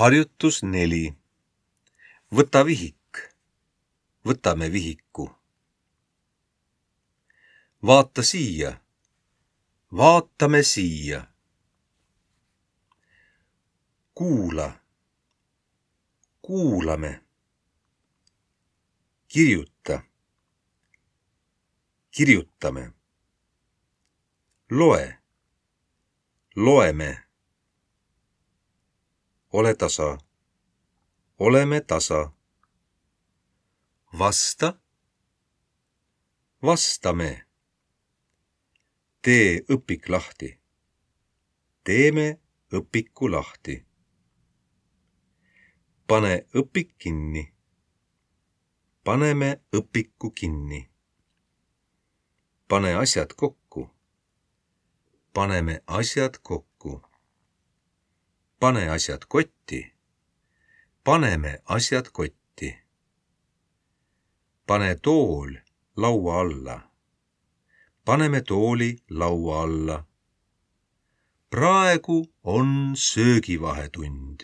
Harjutus 4. Võta vihik. Võtame vihiku. Vaata siia. Vaatame siia. Kuula. Kuulame. Kirjuta. Kirjutame. Loe. Loeme. Ole tasa. Oleme tasa. Vasta. Vastame. Tee õpik lahti. Teeme õpiku lahti. Pane õpik kinni. Paneme õpiku kinni. Pane asjad kokku. Paneme asjad kokku. Pane asjad kotti. Paneme asjad kotti. Pane tool laua alla. Paneme tooli laua alla. Praegu on söögivahetund.